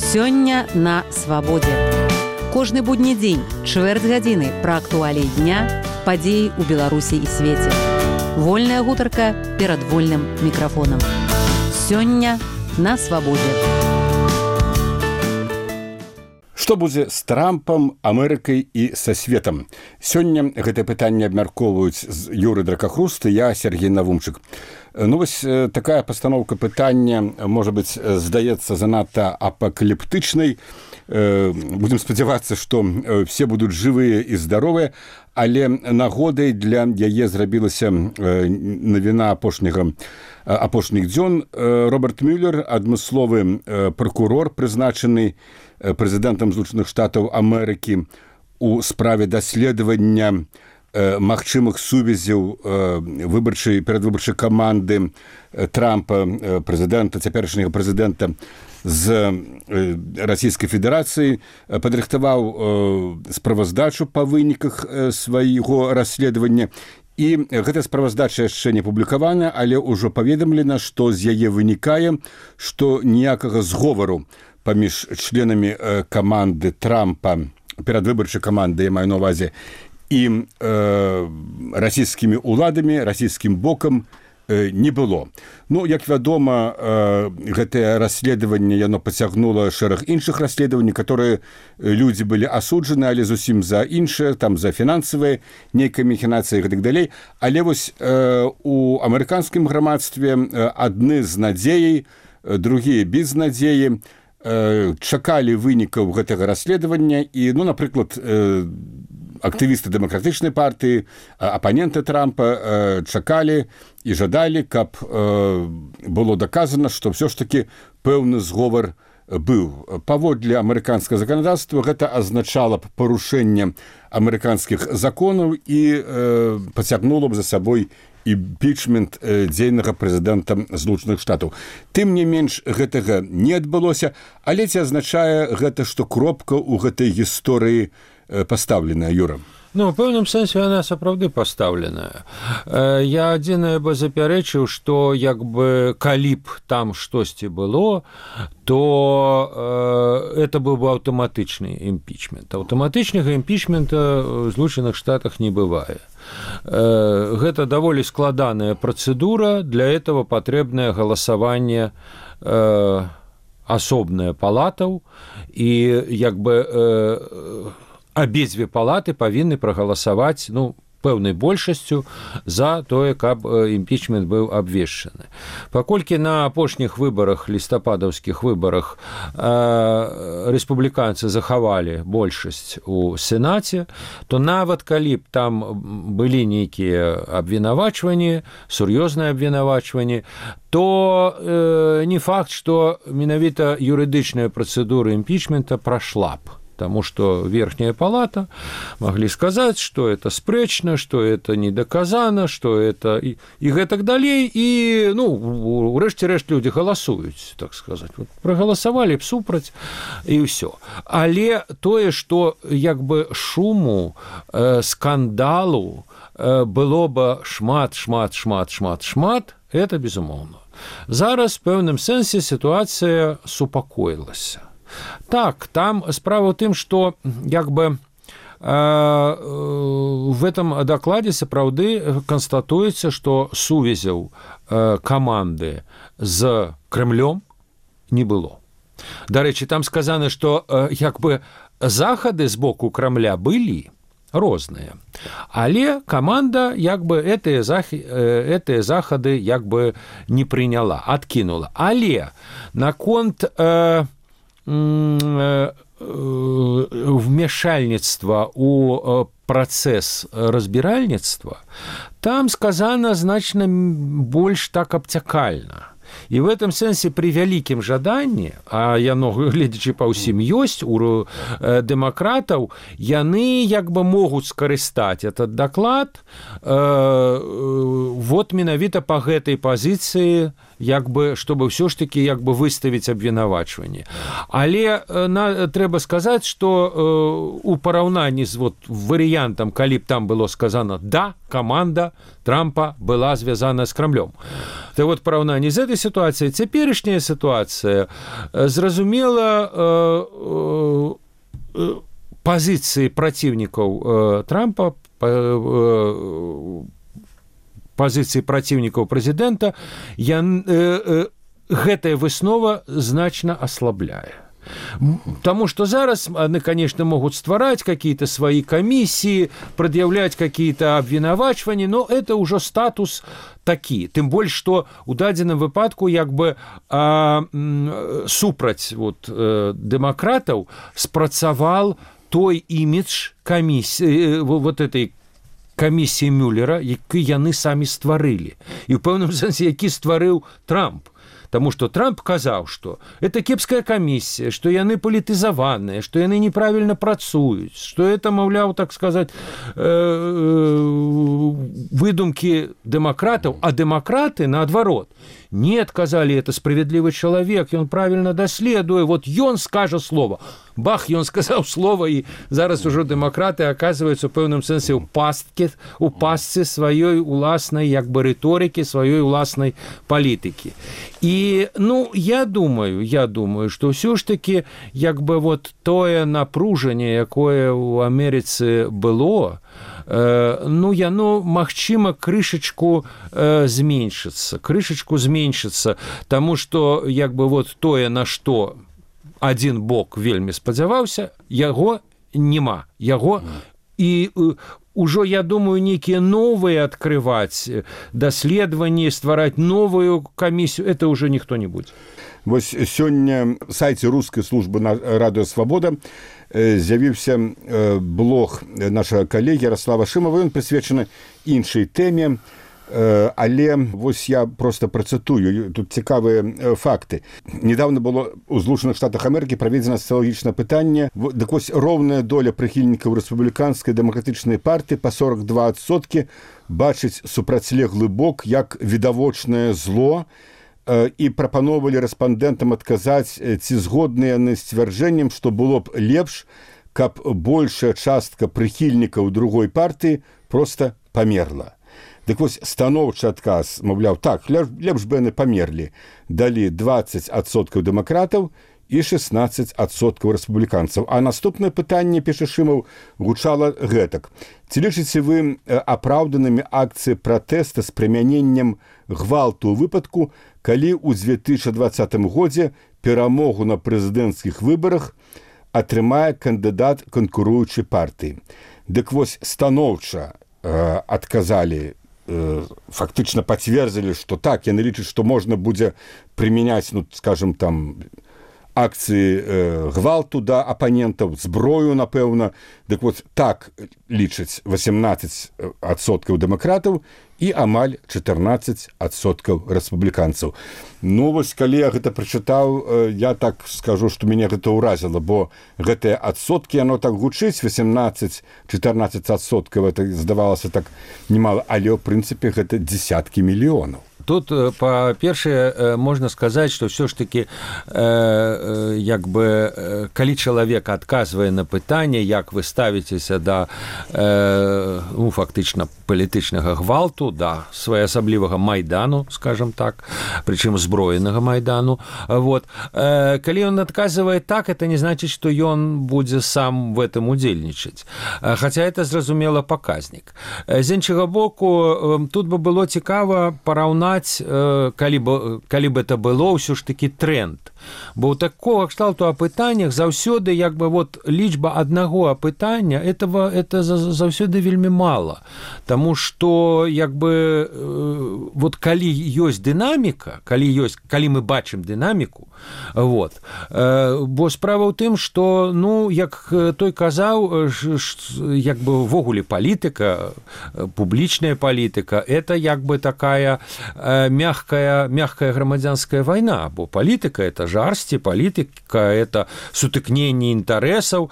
Сёння на свабодзе. Кожны будні дзень, чвэрць гадзіны пра актуаліі дня, падзеі ў Беларусі і свеце. Вольная гутарка перад вольным мікрафонам. Сёння на свабодзе. Што будзе з Трампам, Амерыкай і са светам? Сёння гэтае пытанне абмяркоўваюць з Юры Дракахруст і я, Сергей Навумчык. Ну, вось такая пастаноўка пытання, можа быць, здаецца занадта апакаліптычнай. Будзем спадзявацца, што все будуць жывыя і здаровыя, але нагодай для яе зрабілася навіна апошніх дзён. Роберт Мюллер, адмысловы пракурор, прызначаны прэзідэнтам Злучаных Штатаў Амерыкі у справе даследавання магчымых сувязяў перадвыбарчай каманды Трампа, цяперашняга прэзідэнта з Расійскай Федэрацыі, падрыхтаваў справаздачу па выніках свайго расследавання. І гэтая справаздача яшчэ не публікавана, але ўжо паведамлена, што з яе вынікае, што ніякага зговару паміж членамі каманды Трампа, перадвыбарчай каманды, я маю на ўвазе, і расійскімі ўладамі, расійскім бокам не было. Ну, як вядома, гэтае расследаванне, яно пацягнула шэраг іншых расследаванняў, которые людзі былі асуджаны, але зусім за іншыя, там за фінансавыя нейкія махінацыі і гэтак далей. Але вось у амерыканскім грамадстве адны з надзеяй, другія без надзеі, чакалі вынікаў гэтага расследавання і, ну, напрыклад, актывісты дэмакратычнай партыі, апаненты Трампа чакалі і жадалі, каб было даказана, што ўсё ж такі пэўны зговар быў. Паводле амерыканскага заканадаўства гэта азначала б парушэнне амерыканскіх законаў і пацягнула б за сабой імпічмент дзейнага прэзідэнта Злучаных Штатаў. Тым не менш, гэтага не адбылося, але ці азначае гэта, што кропка ў гэтай гісторыі пастаўленая, Юра? Ну, у пэўным сэнсе яна сапраўды пастаўленая. Я адзінае бы запярэчыў, што як бы калі б там штосьці было, то это быў бы аўтаматычны імпічмент. Аўтаматычнага імпічмента ў Злучаных Штатах не бывае. Гэта даволі складаная працэдура, для этого патрэбнае галасаванне асобнае палатаў, і як бы абедзве палаты павінны прагаласаваць, ну, пэўнай большасцю за тое, каб імпічмент быў абвешчаны. Паколькі на апошніх выбарах, лістападаўскіх выбарах, рэспубліканцы захавалі большасць у Сенаце, то нават калі б там былі нейкія абвінавачванні, сур'ёзныя абвінавачванні, то не факт, што менавіта юрыдычная працэдура імпічмента прайшла б. Потому что верхняя палата могли сказать, что это спрэчна, что это не доказано, что это и гэтак далей. И, ну, урэшце-рэшт люди галасуюць, так сказать. Вот, проголосовали б супраць, и все. Але тое, что як бы шуму, скандалу было бы шмат, это безумоўна. Зараз в пэўным сэнсе ситуация супакоілася. Так, там справа ў тым, што як бы в этом дакладзе сапраўды канстатуецца, што сувязяў каманды з Крэмлём не было. Дарэчы, там сказана, што як бы захады з боку Крамля былі розныя, але каманда як бы гэтыя захады як бы не прыняла, адкінула. Але наконт вмешальніцтва у працэс разбіральніцтва, там сказана значна больш так абцякальна. І в этом сэнсе пры вялікім жаданні, а яно, гледзячы па ўсім ёсць у дэмакратаў, яны як бы могуць скарыстаць этот даклад вот менавіта па гэтай пазіцыі чтобы ўсё ж таки выставіць абвінавачванне. Але трэба сказаць, што у параўнанні з варыянтам, калі б там было сказано «да», каманда Трампа была звязана з Крамлём. Так вот, параўнанні з этой сітуацыяй, цяперашняя сітуацыя, зразумела, пазіцыі праціўнікаў Трампа, пазіцыі праціўнікаў прэзідэнта, гэтая выснова значна аслабляе. Потому что зараз они, конечно, могут ствараць какие-то свои комиссии, предъявлять какие-то обвинавачвания, но это уже статус такі. Тым больш, што у дадзеным выпадку супраць дэмакратаў спрацавал той імідж камісіі, этой камісіі Мюллера, які яны самі стварылі. І ў пэўным сэнсе, які стварыў Трамп. Таму што Трамп казаў, што это кепская камісія, што яны палітызаваныя, што яны неправільна працуюць, што это, маўляў, так сказаць, выдумкі дэмакратаў, а дэмакраты, наадварот, нет, казалі, это справядлівы чалавек, ён правільна даследуе, ён скажа слово. Бах, ён сказаў слова, і зараз ужо дэмакраты аказваюцца ў пэўным сэнсе ў пастцы сваёй уласнай рыторыкі, сваёй уласнай палітыкі. І, я думаю, што ўсё ж такі, тое напружанне, якое ў Амерыцы было, яно, магчыма, крышачку зменшыцца, таму што, тое, на што адзін бок вельмі спадзяваўся, яго няма. І ўжо, я думаю, нейкія новыя адкрываць даследаванні, ствараць новую камісію, это ўжо ніхто не будзе. Вось сёння на сайце рускай службы радыё «Свабода» з'явіўся блог нашага калегі Ярослава Шымова, ён прысвечаны іншай тэме, але вось я просто працытую, тут цікавыя факты. Недавно было ў Злучаных Штатах Амерыкі праведзена сацыялагічнае пытанне, дык вось роўная доля прыхільнікаў рэспубліканскай дэмакратычнай партыі па 42% бачыць супрацьлеглы бок як відавочнае зло, і прапаноўвалі рэспандэнтам адказаць, ці згодныя яны з сцвярджэннем, што было б лепш, каб большая частка прыхільнікаў другой партыі проста памерла. Дык вось станоўчы адказ, маўляў, так, лепш бы яны памерлі, далі 20% дэмакратаў і 16% рэспубліканцаў. А наступнае пытанне, піша Шымаў, гучала гэтак. Ці лічыце вы апраўданымі акцыі пратэста з прымяненнем гвалту ў выпадку, калі ў 2020 годзе перамогу на прэзідэнцкіх выбарах атрымае кандыдат канкуруючай партыі? Дык вось станоўча адказалі, фактычна пацвердзілі, што так, яны лічаць, што можна будзе прымяняць, скажем, там, акцыі гвалту да апанентаў, зброю, напэўна. Дык вот так лічаць 18% дэмакратаў і амаль 14% рэспубліканцаў. Вось, калі я гэта прачытаў, я так скажу, што мяне гэта ўразіла, бо гэтыя адсоткі, яно так гучыць, 18-14%, это здавалася так немало, але ў прынцыпе гэта дзесяткі мільёнаў. Тут, па-першае, можна сказаць, што ўсё ж такі, калі чалавек адказвае на пытанне, як вы ставіцеся да, фактычна, палітычнага гвалту, да своеасаблівага майдану, скажем так, прычым зброенага майдану, калі ён адказвае так, это не значыць, што ён будзе сам в этом удзельнічаць. Хаця это, зразумела, паказнік. З іншага боку, тут бы было цікава параўнаць, калі б это было ўсё ж такі тренд. Бо ў такога кшталту апытаннях заўсёды лічба аднаго апытання это заўсёды вельмі мала. Таму што калі ёсць дынаміка, калі мы бачым дынаміку, бо справа ў тым, што, як той казаў, ввогуле палітыка, публічная палітыка, это такая мягкая грамадзянская вайна, бо палітыка – это жарсці, палітыка – это сутыкненне інтарэсаў,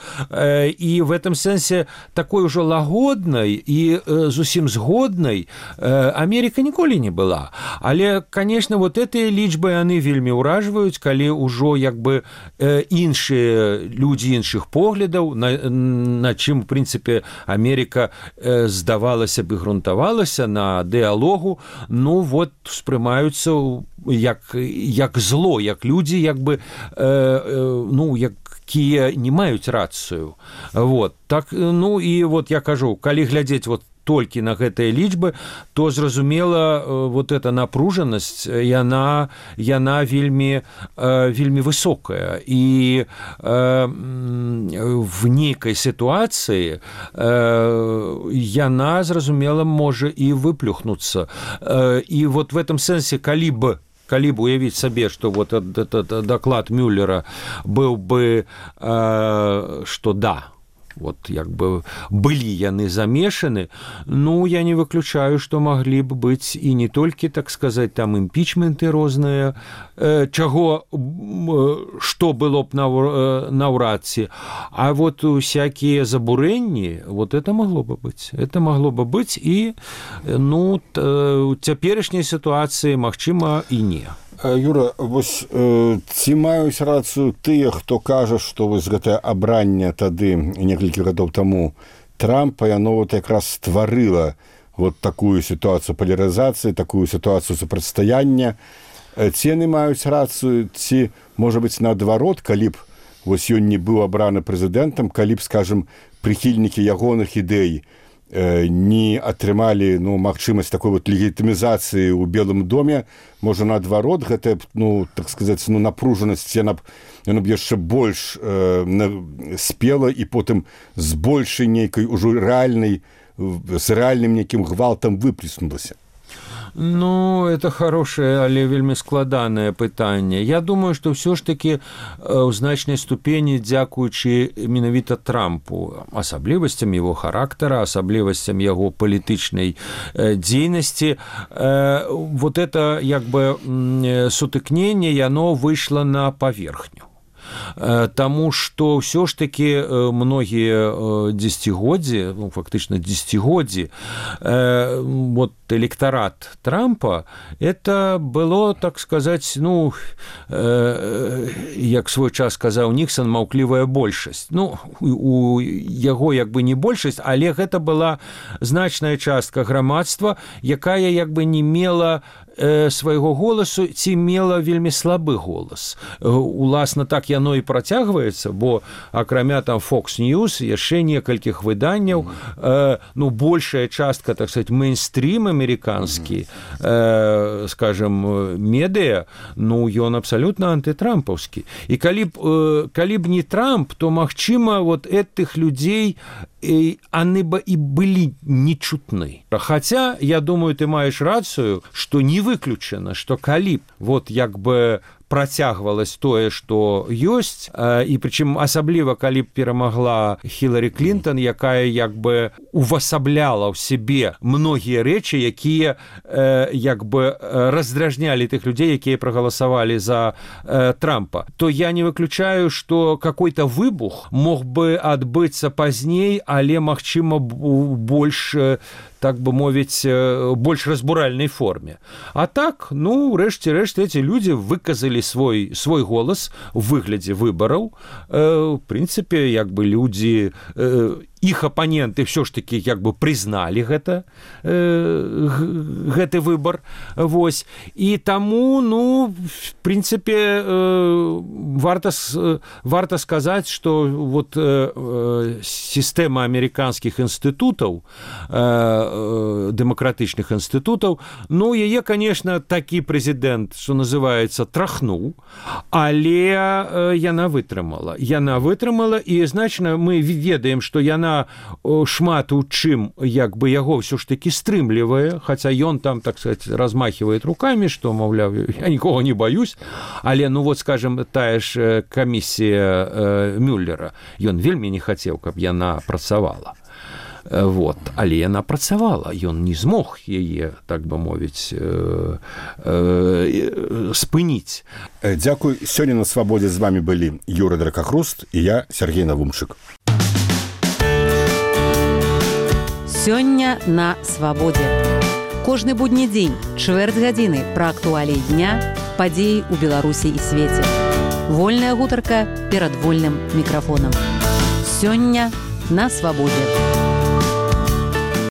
і в этом сэнсе такой ужо лагоднай і зусім згоднай Америка ніколі не была. Але, конечно, вот гэтыя лічбы яны вельмі ўражваюць, калі ўжо як бы іншыя людзі іншых поглядаў, на чым, в прынцыпе, Америка здавалася бы грунтавалася на дыалогу, ну вот спрымаюцца як зло, як людзі як бы якія не маюць рацыю. Вот так, ну і вот я кажу, калі глядзець вот толькі на гэтыя лічбы, то зразумела вот эта напружанасць яна вельмі высокая, і в нейкай сітуацыі яна зразумела можа і выплюхнуцца. І вот в этом сэнсе калі б уявіць сабе, што вот этот доклад Мюллера быў бы, што да, вот як бы былі яны замешаны, ну, я не выключаю, што маглі б быць і не толькі, так сказаць, там імпічменты розныя, што было б наўрад ці, а вот усякія забурэнні, вот это магло бы быць. Это магло бы быць, і, ну, у цяперашняй сітуацыі, магчыма, і не. Юра, вось ці маюць рацыю тыя, хто кажа, што вось гэтае абранне тады некалькі гадоў таму Трампа, яно вот якраз стварыла вот такую сітуацыю палярызацыі, такую сітуацыю супрацьстаяння. Ці яны маюць рацыю, ці, можа быць, наадварот, калі б вось ён не быў абраны прэзідэнтам, калі б, скажам, прыхільнікі ягоных ідэй не атрымалі, ну, магчымасць такой вот легітымізацыі ў Белым доме, можа, наадварот, гэтая, ну, так сказаць, ну, напружанасць, яна б яшчэ больш спела і потым з большай нейкай ужо рэальнай, з рэальным нейкім гвалтам выплеснулася. Ну, это хорошее, але вельмі складанае пытанне. Я думаю, што ўсё ж такі ў значнай ступені, дзякуючы менавіта Трампу, асаблівасцям яго характара, асаблівасцям яго палітычнай дзейнасці, вот это як бы сутыкненне, яно выйшло на паверхню. Таму што ўсё ж такі многія дзесяцігоддзі, ну, фактычна дзесяцігоддзі, вот электарат Трампа, это было, так сказаць, ну, як свой час сказаў Ніксан, маўклівая большасць. Ну, у яго як бы не большасць, але гэта была значная частка грамадства, якая як бы не мела свайго голасу ці мела вельмі слабы голас. Уласна, так яно і працягваецца, бо акрамя там Fox News яшчэ некалькіх выданняў, ну, большая частка, так сказать, мейнстрим амерыканскі, скажем, медыа, ну, ён абсалютна антытрампаўскі. І калі б не Трамп, то, магчыма, вот этих людзей они бы и были нечутны. Хотя, я думаю, ты маешь рацию, что не выключено, что калі б вот як бы працягвалось тое, што ёсць, і прычым асабліва, калі б перамагла Хіларі Клінтон, якая як бы увасабляла ў сябе многія рэчы, якія як бы раздражнялі тых людзей, якія прагаласавалі за Трампа, то я не выключаю, што какой-то выбух мог бы адбыцца пазней, але, магчыма, больш, так бы мовіць, больш разбуральнай форме. А так, ну, рэшце-рэшт, эти людзі выказалі свой голас у выглядзе выбараў. В прынцыпе, як бы людзі, іх апаненты ўсё ж такі як бы прызналі гэты выбар. Вось. І таму, ну, в прынцыпе, варта сказаць, што вот сістэма амерыканскіх інстытутаў, дэмакратычных інстытутаў, ну, яе, конечно, такі прэзідэнт, што называецца, трахнуў, але яна вытрымала. Яна вытрымала, і, значна, мы ведаем, што яна шмат у чым, як бы, яго ўсё ж такі стрымлівае, хаця ён там, так сказать, размахивает руками, што, маўляў, я нікога не баюсь, але, ну, вот, скажем, тая ж камісія Мюллера, ён вельмі не хацеў, каб яна працавала. Вот. Але яна працавала, ён не змог яе, так бы мовіць, спыніць. Дзякуй. Сёння на свабодзе з вами былі Юрый Дракахруст і я, Сергей Навумчык. Сёння на свабодзе. Кожны будні дзень, чвэрць гадзіны пра актуаліі дня, падзеі ў Беларусі і свеце. Вольная гутарка перад вольным мікрафонам. Сёння на свабодзе.